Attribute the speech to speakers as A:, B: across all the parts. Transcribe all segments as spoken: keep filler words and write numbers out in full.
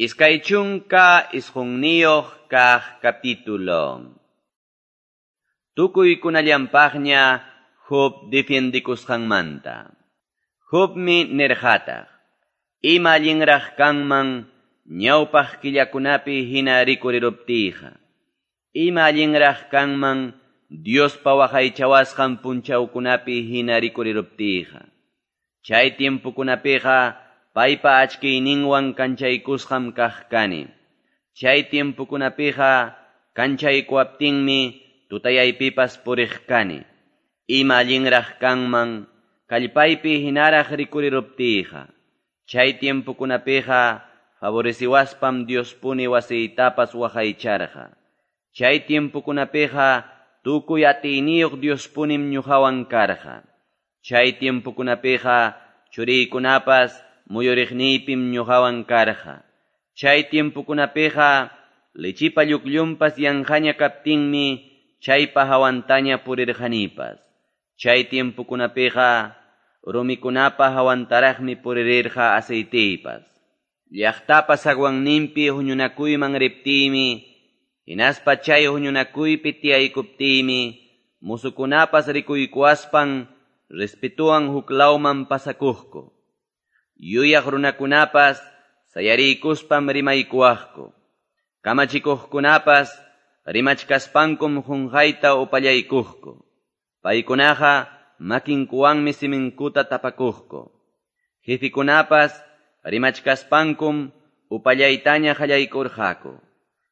A: Iskay chunka isqunniyuq kaq capítulo. Tukuykunallanpaqña Job defiendikusqanmanta. Jobmi nirqataq, ima allinraq kanman ñawpaq killakunapi hina rikuriruptiyqa. Ima allinraq kanman Diospa waqaychawasqan punchawkunapi hina rikuriruptiyqa. Chay tiempokunapiqa paypa achkiyninwan kanchaykusqam kaq kani. Chay tiempokunapiqa kanchaykuwaptinmi tutayaypipas puriq kani. Ima allinraq kanman kallpaypi hinaraq rikuriruptiyqa. Chay tiempokunapiqa favoreciwaspam Diospuni wasiytapas waqaycharqa. Chay tiempokunapiqa tukuy atiyniyuq Diospunim ñuqawan karqa. Chay tiempokunapiqa churiykunapas muyuriqniypim ñuqawan karqa. Chay tiempokunapiqa lechipa lluqllunpas yanqaña kaptinmi chaypa hawantaña purirqanipas. Chay tiempokunapiqa rumikunapa hawantaraqmi puririrqa aceiteypas. Llaqtapa zaguanninpi huñunakuyman riptiymi, hinaspa chay huñunakuypi tiyaykuptiymi, musukunapas rikuykuwaspan respetuwan huklawman pasakuqku. Yuyaq runakunapas sayariykuspam rimaykuwaqku. Kamachikuqkunapas rimachkaspankum qunqayta upallaykuqku. Paykunaqa makinkuwanmi siminkuta tapakuqku. Jefikunapas rimachkaspankum upallaytaña qallaykurqaku.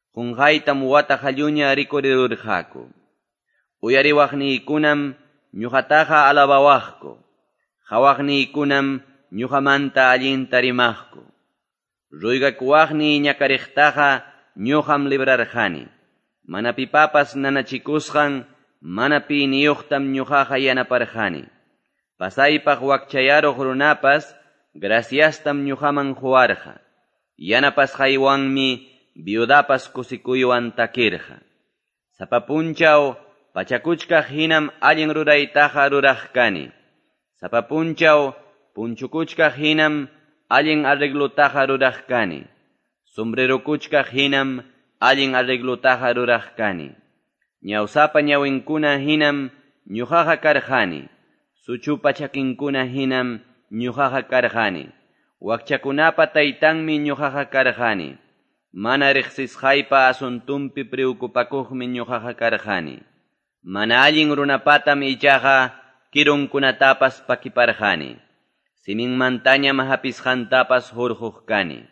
A: Qunqaytam wata qalluña rikurirurqaku. Uyariwaqniykunam ñuqataqa alabawaqku. Qhawaqniykunam ñuqamanta allinta rimaqku. Ruygakuwaqniy ñakariqtaqa ñuqam librarqani. Mana pipapas nanachikusqan mana piyniyuqtam ñuqaqa yanaparqani. Pasaypaq wakchayaruq runapas graciastam ñuqaman quwarqa. Yanapasqaywanmi viudapas kusikuywan takirqa. Sapa punchaw pachakuchkaq hinam allin ruraytaqa ruraq kani. Sapa punchaw punchukuchkaq hinam allin arreglutaqa ruraq kani. Sombrerukuchkaq hinam allin arreglutaqa ruraq kani. Ñawsapa ñawinkuna hinam ñuqaqa karqani. Suchupa chakinkuna hinam ñuqaqa karqani. Wakchakunapa taytanmi ñuqaqa karqani. Mana riqsisqaypa asuntunpi preocupakuqmi ñuqaqa karqani. Mana allin runapatam ichaqa kirunkunatapas pakiparqani. Siminmantañam hapisqantapas hurquq kani.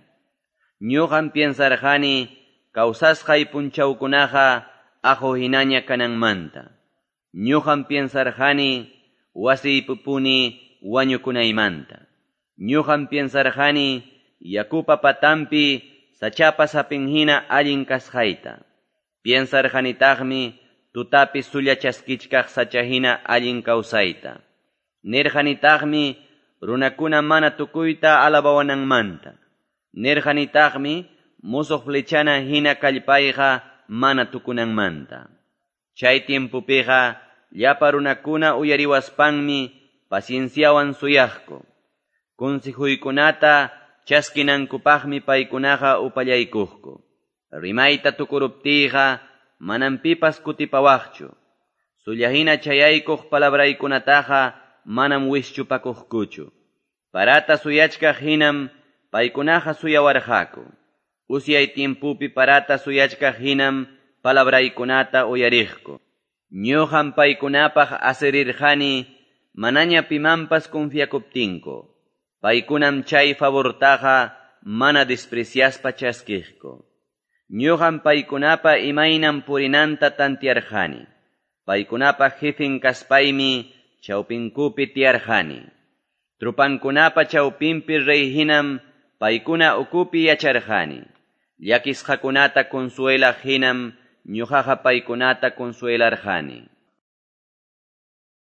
A: Ñuqam piensarqani kawsasqay punchawkunaqa aqu hinaña kananmanta. Ñuqam piensarqani wasiypupuni wañukunaymanta. Ñuqam piensarqani yakupa patampi sachapa sapin hina allin kasqayta. Piensarqanitaqmi tutapi sulla chaskichkaq sacha hina allin kawsayta. Nirqanitaqmi runakuna mana tukuyta alabawananmanta. Nirqanitaqmi musuq flechana hina kallpayqa mana tukunanmanta. Chay tiempopiqa llapa runakuna uyariwaspanmi pacienciawan suyaqku. Consejuykunata chaskinankupaqmi paykunaqa upallaykuqku. Rimayta tukuruptiyqa manam pipas kutipawaqchu. Sullahina chayaykuq palabraykunataqa manam wischupakuqkuchu. Parata suyachkaq hinam paykunaqa suyawarqaku. Usyay tiempopi parata suyachkaq hinam palabraykunata uyariqku. Ñuqam paykunapaq asirirqani manaña pimanpas confiakuptinku. Paykunam chay favortaqa mana despreciaspa chaskiqku. Ñuqam paykunapa imaynam purinanta tantiarqani. Paykunapa jefin kaspaymi chawpinkupi tiyarqani. Trupankunapa chawpinpi rey hinam paykuna ukupi yacharqani. Llakisqakunata consuelaq hinam ñuqaqa paykunata consuelarqani.